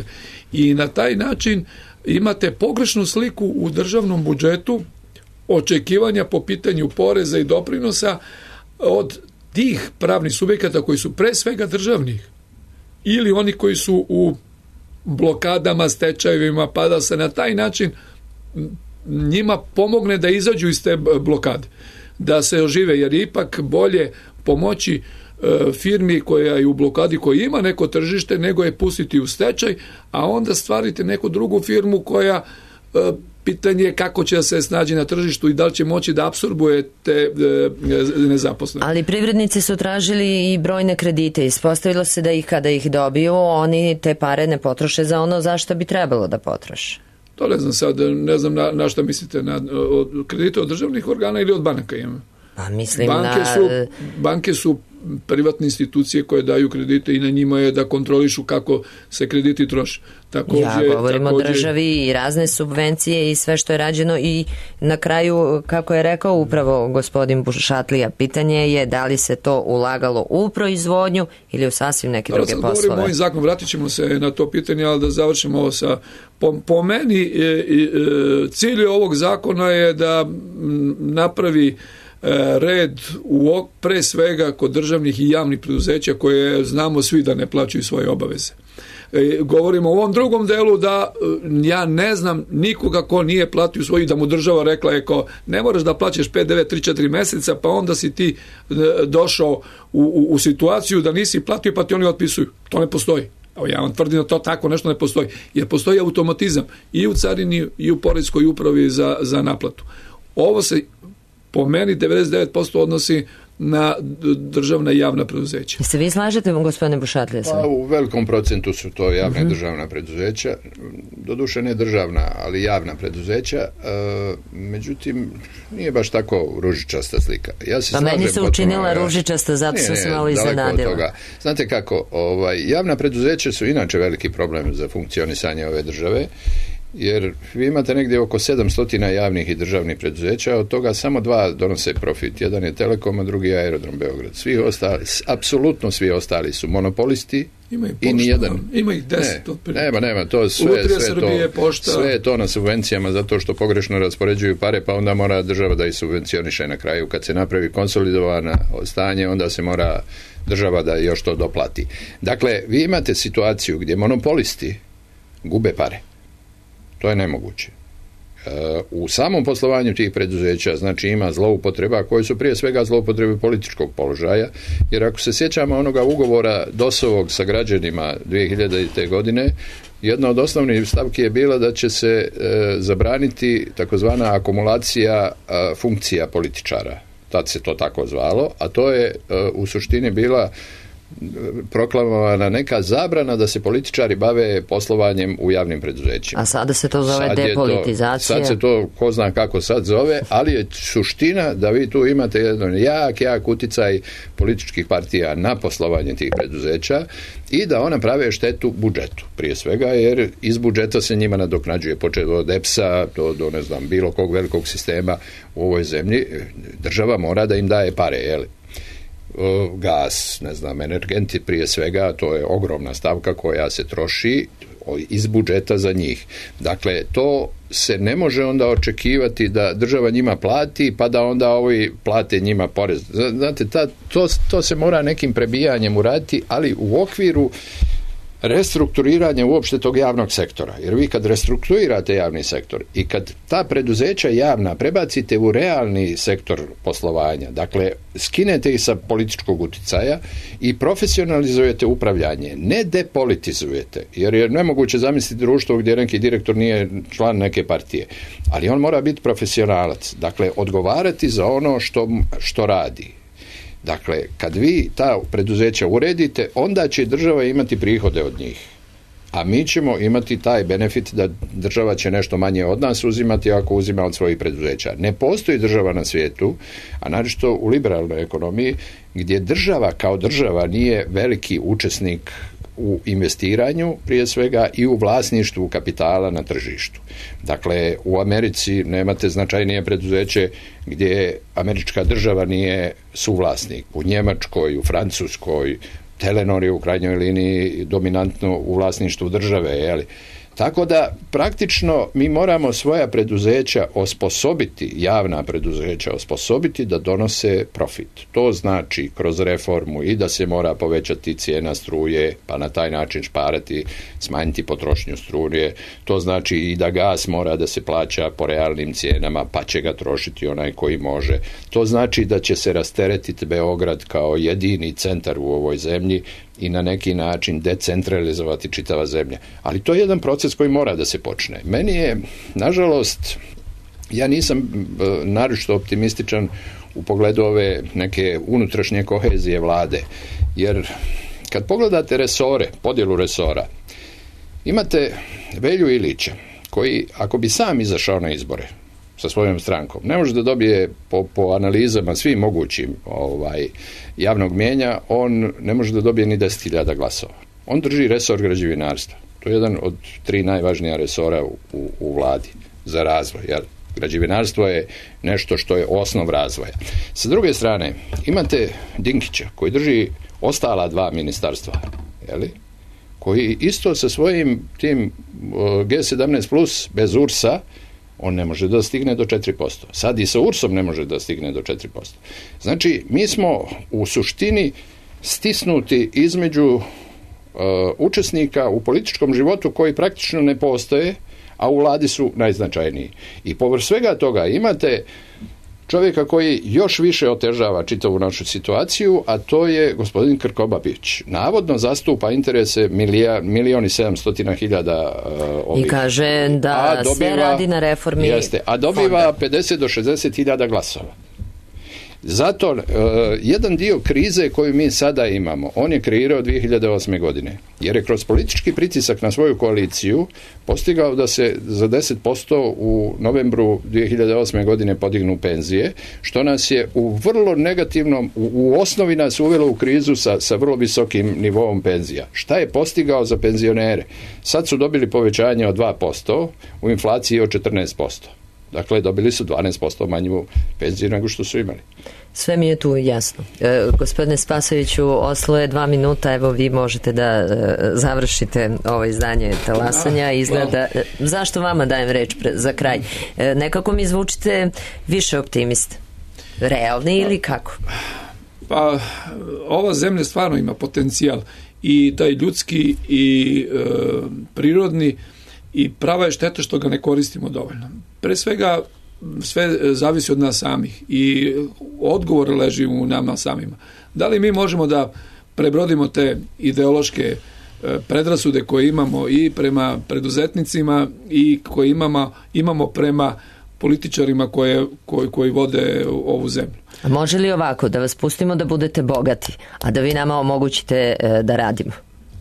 I na taj način imate pogrešnu sliku u državnom budžetu očekivanja po pitanju poreza i doprinosa od tih pravnih subjekata koji su pre svega državnih ili oni koji su u blokadama, stečajevima, pa da se na taj način njima pomogne da izađu iz te blokade, da se ožive, jer je ipak bolje pomoći e, firmi koja je u blokadi, koja ima neko tržište, nego je pustiti u stečaj, a onda stvarite neku drugu firmu koja e, pitanje je kako će se snaći na tržištu i da li će moći da apsorbuje te e, nezaposlene. Ali privrednici su tražili i brojne kredite. Ispostavilo se da ih kada ih dobiju, oni te pare ne potroše za ono za što bi trebalo da potroše. To ne znam sad, ne znam na, na šta mislite, na od kredite od državnih organa ili od banaka imamo. Pa mislim banke na... su, banke su privatne institucije koje daju kredite i na njima je da kontrolišu kako se krediti troše. Takođe, ja govorim takođe, o državi i razne subvencije i sve što je rađeno i na kraju, kako je rekao upravo gospodin Bušatlija, pitanje je da li se to ulagalo u proizvodnju ili u sasvim neke da, druge sad poslove. Govorimo o ovim zakonom, vratit ćemo se na to pitanje, ali da završimo ovo sa, po, po meni e, e, cilj ovog zakona je da m, napravi e, red u, pre svega kod državnih i javnih preduzeća koje znamo svi da ne plaćaju svoje obaveze. E, govorimo o ovom drugom delu da ja ne znam nikoga ko nije platio svoji, da mu država rekla je ko, ne moraš da plaćaš P D V tri četiri meseca, pa onda si ti e, došao u, u, u situaciju da nisi platio pa ti oni otpisuju. To ne postoji. Evo, ja vam tvrdim da to tako nešto ne postoji. Jer postoji automatizam i u carini i u poreskoj upravi za, za naplatu. Ovo se po meni devedeset devet posto odnosi na državna i javna preduzeća. Se vi slažete, gospodine Bušatlija? Pa, u velikom procentu su to javne uh-huh. državna preduzeća, doduše ne državna, ali javna preduzeća, e, međutim, nije baš tako ružičasta slika. Ja se pa slažem, meni se učinila potpuno, ružičasta, zato sam se malo iznenadila. Znate kako, ovaj, javna preduzeća su inače veliki problem za funkcionisanje ove države, jer vi imate negdje oko sedamsto javnih i državnih preduzeća, od toga samo dva donose profit. Jedan je Telekom, a drugi je Aerodrom Beograd. Svi ostali, apsolutno svi ostali su monopolisti. Ima i nijedan. Ima ih deset. Ne, nema, nema, to sve, sve, to, sve je to na subvencijama zato što pogrešno raspoređuju pare, pa onda mora država da ih subvencioniše na kraju. Kad se napravi konsolidovana stanje, onda se mora država da još to doplati. Dakle, vi imate situaciju gdje monopolisti gube pare. To je nemoguće. U samom poslovanju tih preduzeća, znači, ima zloupotreba koje su prije svega zloupotrebe političkog položaja, jer ako se sjećamo onoga ugovora DOS-ovog sa građanima dvije hiljadite. godine, jedna od osnovnih stavki je bila da će se e, zabraniti takozvana akumulacija e, funkcija političara. Tad se to tako zvalo, a to je e, u suštini bila proklamovana neka zabrana da se političari bave poslovanjem u javnim preduzećima. A sada se to zove sad depolitizacija. To, sad se to ko zna kako sad zove, ali je suština da vi tu imate jedan jak, jak uticaj političkih partija na poslovanje tih preduzeća i da ona prave štetu budžetu, prije svega, jer iz budžeta se njima nadoknađuje, počet od E P S-a do, do ne znam, bilo kog velikog sistema u ovoj zemlji. Država mora da im daje pare, jeli? Gas, ne znam, energenti prije svega, to je ogromna stavka koja se troši iz budžeta za njih. Dakle, to se ne može onda očekivati da država njima plati, pa da onda ovi plate njima porez. Znate, ta, to, to se mora nekim prebijanjem uraditi, ali u okviru restrukturiranja uopšte tog javnog sektora. Jer vi kad restrukturirate javni sektor i kad ta preduzeća javna prebacite u realni sektor poslovanja, dakle, skinete ih sa političkog uticaja i profesionalizujete upravljanje, ne depolitizujete, jer je nemoguće zamisliti društvo gdje neki direktor nije član neke partije, ali on mora biti profesionalac, dakle, odgovarati za ono što, što radi. Dakle, kad vi ta preduzeća uredite, onda će država imati prihode od njih. A mi ćemo imati taj benefit da država će nešto manje od nas uzimati ako uzima od svojih preduzeća. Ne postoji država na svijetu, a naročito u liberalnoj ekonomiji, gdje država kao država nije veliki učesnik u investiranju prije svega i u vlasništvu kapitala na tržištu. Dakle, u Americi nemate značajnije preduzeće gdje američka država nije suvlasnik. U Njemačkoj, u Francuskoj, Telenor je u krajnjoj liniji dominantno u vlasništvu države, jeli? Tako da praktično mi moramo svoja preduzeća osposobiti, javna preduzeća osposobiti da donose profit. To znači kroz reformu i da se mora povećati cijena struje, pa na taj način šparati, smanjiti potrošnju struje. To znači i da gas mora da se plaća po realnim cijenama, pa će ga trošiti onaj koji može. To znači da će se rasteretiti Beograd kao jedini centar u ovoj zemlji i na neki način decentralizovati čitava zemlja. Ali to je jedan proces koji mora da se počne. Meni je, nažalost, ja nisam e, naročito optimističan u pogledu ove neke unutrašnje kohezije vlade. Jer kad pogledate resore, podjelu resora, imate Velju Ilića, koji, ako bi sam izašao na izbore, sa svojom strankom. Ne može da dobije po, po analizama svim mogućim ovaj, javnog mijenja, on ne može da dobije ni deset hiljada glasova. On drži resor građevinarstva. To je jedan od tri najvažnija resora u, u, u vladi za razvoj. Jel? Građevinarstvo je nešto što je osnov razvoja. Sa druge strane, imate Dinkića koji drži ostala dva ministarstva, jeli? Koji isto sa svojim tim G sedamnaest plus bez U R S-a on ne može da stigne do četiri posto. Sad i sa U R S-om ne može da stigne do četiri posto. Znači, mi smo u suštini stisnuti između uh, učesnika u političkom životu koji praktično ne postoje, a u vladi su najznačajniji. I povrh svega toga imate čovjeka koji još više otežava čitavu našu situaciju, a to je gospodin Krkobabić. Navodno zastupa interese milija, milion i sedamstotina hiljada uh, ovih. I kaže da dobiva, sve radi na reformi jeste, a dobiva fonda. pedeset do šezdeset hiljada glasova. Zato, uh, jedan dio krize koju mi sada imamo, on je kreirao dvije hiljade osme. godine, jer je kroz politički pritisak na svoju koaliciju postigao da se za deset posto u novembru dvije hiljade osme. godine podignu penzije, što nas je u vrlo negativnom, u, u osnovi nas uvelo u krizu sa, sa vrlo visokim nivoom penzija. Šta je postigao za penzionere? Sad su dobili povećanje od dva posto, u inflaciji od četrnaest posto. Dakle, dobili su dvanaest posto manju penziju nego što su imali. Sve mi je tu jasno. E, gospodine Spasojeviću, Oslo je dva minuta, evo vi možete da e, završite ovo izdanje talasanja. Izgleda, e, zašto vama dajem reč pre, za kraj? E, nekako mi zvučite više optimiste. Realni ili kako? Pa, ova zemlja stvarno ima potencijal i taj ljudski i e, prirodni, i prava je šteta što ga ne koristimo dovoljno. Pre svega, sve zavisi od nas samih i odgovor leži u nama samima. Da li mi možemo da prebrodimo te ideološke predrasude koje imamo i prema preduzetnicima i koje imamo, imamo prema političarima koje, koji, koji vode ovu zemlju. A može li ovako, da vas pustimo da budete bogati, a da vi nama omogućite da radimo?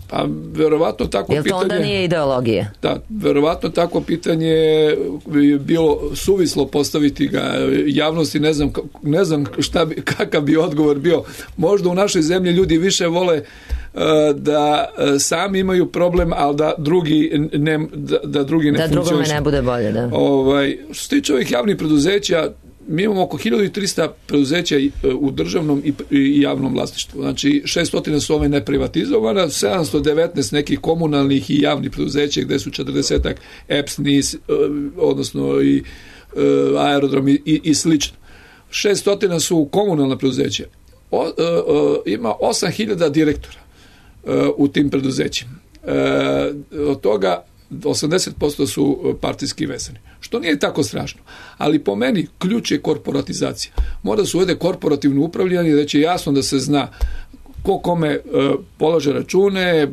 Pa, verovatno tako pitanje... Jel to onda nije ideologija? Da, verovatno tako pitanje je bilo suvislo postaviti ga javnosti, ne znam, ne znam šta bi, kakav bi odgovor bio. Možda u našoj zemlji ljudi više vole uh, da sami imaju problem, ali da drugi ne, da, da drugi ne da funkcionišu. Da drugome ne bude bolje, da. Ovaj, što se tiče ovih javnih preduzeća, mi imamo oko hiljadu trista preduzeća u državnom i javnom vlasništvu. Znači, šesto su ove neprivatizovana, sedamsto devetnaest nekih komunalnih i javnih preduzeća gde su četrdesetak E P S, N I S, odnosno i aerodrom i, i slično. šesto su komunalna preduzeća. O, o, o, ima osam hiljada direktora o, u tim preduzećima. E, od toga osamdeset posto su partijski vezani. Što nije tako strašno. Ali po meni ključ je korporatizacija. Mora da se uvede korporativno upravljanje, da će jasno da se zna ko kome e, polaže račune,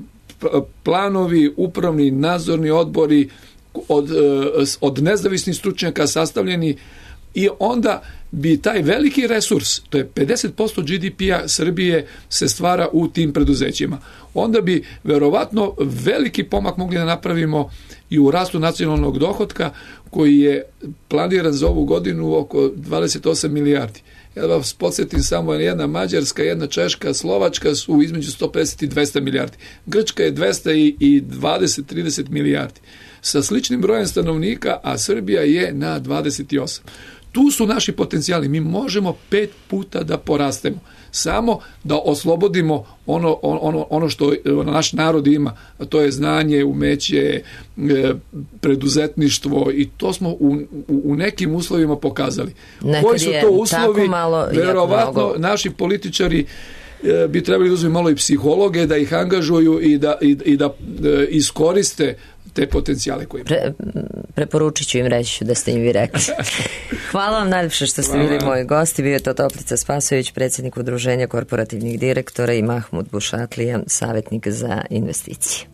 planovi, upravni, nadzorni odbori od, e, od nezavisnih stručnjaka sastavljeni, i onda bi taj veliki resurs, to je pedeset posto G D P-a Srbije, se stvara u tim preduzećima. Onda bi verovatno veliki pomak mogli da napravimo i u rastu nacionalnog dohotka, koji je planiran za ovu godinu oko dvadeset osam milijardi. Ja vas podsjetim samo, jedna Mađarska, jedna Češka, Slovačka su između sto pedeset i dvesta milijardi. Grčka je dvesta dvadeset do trideset milijardi. Sa sličnim brojem stanovnika, a Srbija je na dvadeset osam. Tu su naši potencijali. Mi možemo pet puta da porastemo. Samo da oslobodimo ono, ono, ono što naš narod ima, a to je znanje, umeće, preduzetništvo, i to smo u, u nekim uslovima pokazali. Nekad koji su to uslovi? Malo, verovatno naši političari bi trebali da uzeti malo i psihologe, da ih angažuju i da, i, i da iskoriste te potencijale koje imaju. Pre, preporučit ću im, reći ću da ste im vi rekli. Hvala vam najljepše što ste bili moji gosti. Bio je to Toplica Spasojević, predsjednik Udruženja korporativnih direktora, i Mahmud Bušatlija, savjetnik za investicije.